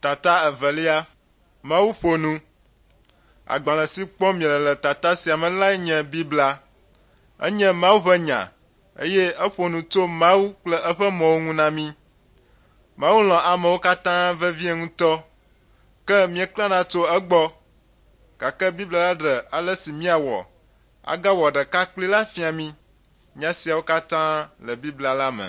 Tata evelia, Mawu ƒo nu. Agbalẽ si kpɔm miele le tata sia me lae nye Biblia. Enye Mawu ƒe nya eye eƒo nu tso Mawu kple eƒe mɔwo ŋu na mí. Mawu lɔ̃ amewo katã vevie ŋutɔ, ke míeklãna tso egbɔ. Gake Biblia la ɖe ale si míawɔ agawɔ ɖeka kplii la fia mí. Nya siawo katã le Biblia la me.